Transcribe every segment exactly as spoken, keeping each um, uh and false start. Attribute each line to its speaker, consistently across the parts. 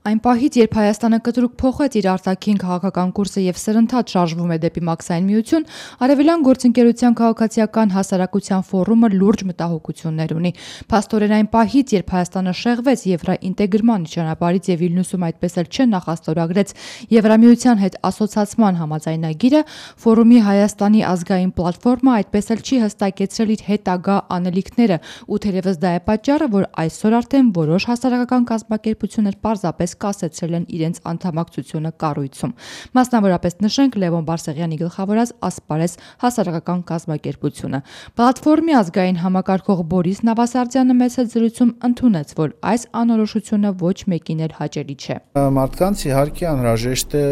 Speaker 1: Այն պահից, երբ Հայաստանը կտրուկ փոխեց իր արտաքին քաղաքական կուրսը եւ սրընթաց շարժվում է դեպի մաքսային միություն, Արևելյան գործընկերության քաղաքացիական հասարակության ֆորումը լուրջ մտահոգություններ ունի։ Փաստորեն այն պահից, երբ Հայաստանը շեղվեց եվրոինտեգրման ճանապարհից եւ Վիլնյուսում այդպես էլ չնախաստորագրեց Եվրամիության հետ ասոցացման համաձայնագիրը, ֆորումի Հայաստանի ազգային պլատֆորմը այդպես էլ չի հստակեցրել իր հետագա անելիքները, ու թերևս դա է պատճառը, որ այսօր արդեն որոշ հասարակական կազմակերպություններ պարզապես կասեցրել են իրենց անդամակցությունը կառույցում։ Մասնավորապես նշենք Լևոն Բարսեղյանի գլխավորած Ասպարես հասարակական կազմակերպությունը։ Պլատֆորմի ազգային համակարգող Բորիս Նավասարդյանը մեծ զրույցում ընդունեց, որ այս անորոշությունը ոչ մեկին էլ հաճելի չէ։
Speaker 2: Մարդկանց իհարկե անհրաժեշտ է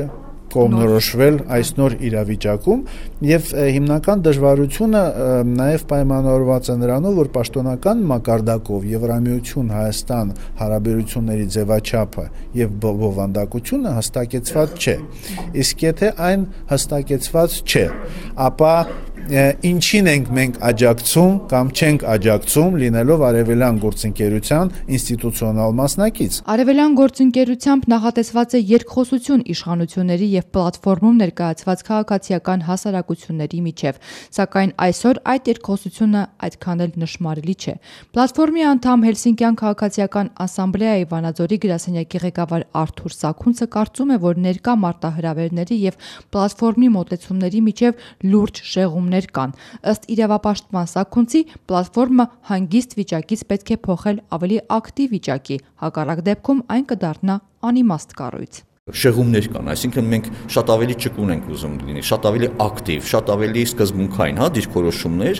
Speaker 2: կողմնորոշվել այս նոր իրավիճակում եւ հիմնական դժվարությունը նաեւ պայմանավորված է նրանով, որ պաշտոնական մակարդակով Եվրամիություն Հայաստան հարաբերությունների ձևաչափը եւ բովանդակությունը հստակեցված չէ։ Իսկ եթե այն հստակեցված չէ, ապա ինչին ենք մենք աջակցում կամ չենք աջակցում լինելով Արևելյան գործընկերության ինստիտուցիոնալ մասնակից։
Speaker 1: Արևելյան գործընկերությամբ նախատեսված է երկխոսություն իշխանությունների եւ պլատֆորմում ներկայացված քաղաքացիական հասարակությունների միջև, սակայն այսօր այդ երկխոսությունը այդքան էլ նշմարելի չէ։ Պլատֆորմի անդամ Հելսինկյան քաղաքացիական ասամբլեայի Վանաձորի գրասենյակի ղեկավար Արթուր Սաքունցը կարծում է, որ ներկա մարտահրավերների եւ պլատֆորմի մոտեցումների միջև լուրջ շեղումներ կան։ Ըստ իրավապաշտպան Սաքունցի, պլատֆորմը հանգիստ վիճակից պետք է փոխել ավելի ակտիվ վիճակի, հակառակ դեպքում այն կդառնա անիմաստ կառույց։
Speaker 3: Շեղումներ կան, այսինքն մենք շատ ավելի ճկուն ենք ուզում լինի, շատ ավելի ակտիվ, շատ ավելի սկզբունքային, հա, դիրքորոշումներ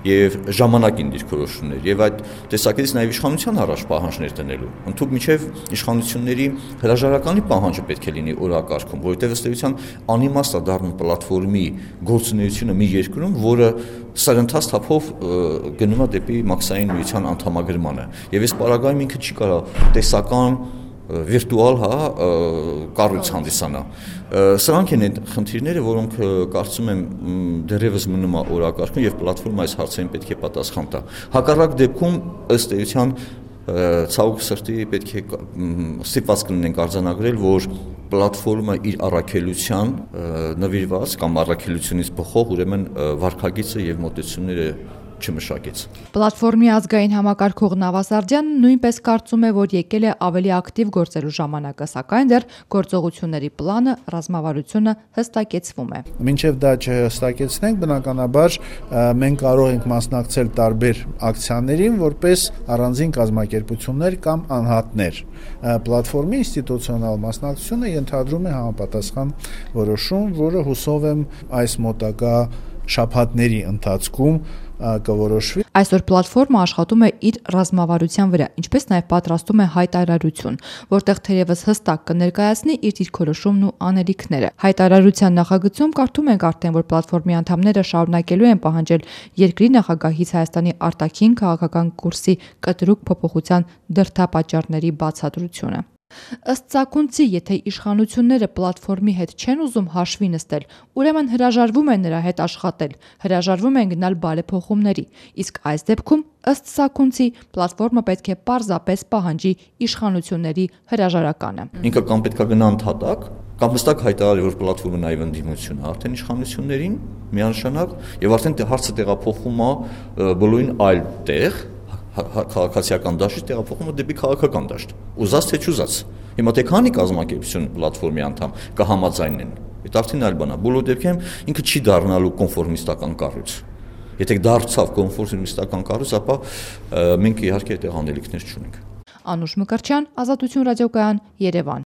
Speaker 3: եւ ժամանակին դիրքորոշումներ եւ այդ տեսակետից նաեւ իշխանության առաջ պահանջներ դնելու։ Ընդհանուր միջև իշխանությունների հրաժարականի պահանջը պետք է լինի օրակարգում, որովհետեւ ըստ էության անիմաստ է դառնում պլատֆորմի գործունեությունը մի երկրում, որը սրընթաց թափով գնում է դեպի մաքսային միության անդամագրմանը։ Եվ այս պարագայում ինքը չի կարող տեսական վիրտուալ հա կառույց հանդիսանա։ Սրանք են այդ խնդիրները, որոնք կարծում եմ դեռևս մնում է օրակարգում եւ պլատֆորմը այս հարցերին պետք է պատասխան տա։ Հակառակ դեպքում ըստ էության ցավոք սրտի պետք է ստիպված կլինենք արձանագրել, որ պլատֆորմը իր առաքելության նվիրված կամ առաքելությունից բխող ուրեմն վարքագիծը եւ մոտեցումները չմշակեց։
Speaker 1: Պլատֆորմի ազգային համակարգող Նավասարդյանը նույնպես կարծում է, որ եկել է ավելի ակտիվ գործելու ժամանակը, սակայն դեռ գործողությունների պլանը, ռազմավարությունը հստակեցվում է։
Speaker 2: Մինչև դա չհստակեցնենք, բնականաբար մենք կարող ենք մասնակցել տարբեր ակցիաներին, որպես առանձին կազմակերպություններ կամ անհատներ։ Պլատֆորմի ինստիտուցիոնալ մասնակցությունը ենթադրում է համապատասխան որոշում, որը հուսով եմ այս մոտակա շաբաթների ընթացքում կորոշվի։
Speaker 1: Այսօր պլատֆորմը աշխատում է իր ռազմավարության վրա, ինչպես նաև պատրաստում է հայտարարություն, որտեղ թերևս հստակ կներկայացնի իր դիրքորոշումն ու անելիքները։ Հայտարարության նախագծում կարդում ենք արդեն, որ պլատֆորմի անդամները շարունակելու են պահանջել երկրի նախագահից Հայաստանի արտաքին քաղաքական կուրսի կտրուկ փոփոխության դրդապատճառների բացատրությունը։ Ըստ Սաքունցի, եթե իշխանությունները պլատֆորմի հետ չեն ուզում հաշվի նստել, ուրեմն հրաժարվում են նրա հետ աշխատել, հրաժարվում են գնալ բարեփոխումների, իսկ այս դեպքում, ըստ Սաքունցի, պլատֆորմը պետք է պարզապես պահանջի իշխանությունների հրաժարականը։
Speaker 3: Ինքը կամ պետք է գնա ընդհատակ, կամ հստակ հայտարարի, որ պլատֆորմը նաեւ ընդդիմություն է արդեն իշխանություններին միանշանակ, եւ արդեն հարցը տեղափոխում է բոլորին այլ տեղ, քաղաքացիական դաշտից տեղափոխումը դեպի քաղաքական դաշտ։ Ուզած թե չուզած։ Հիմա թե քանի կազմակերպություն պլատֆորմի անդամ կհամաձայնեն։ Այդ արդեն այլ բան է։ Բոլոր դեպքերում ինքը չի դառնալու կոնֆորմիստական կառույց։ Եթե դարձավ կոնֆորմիստական կառույց, ապա մենք իհարկե այդտեղ անելիքներ չունենք։
Speaker 1: Անուշ Մկրտչյան, Ազատություն ռադիոկայան, Երևան։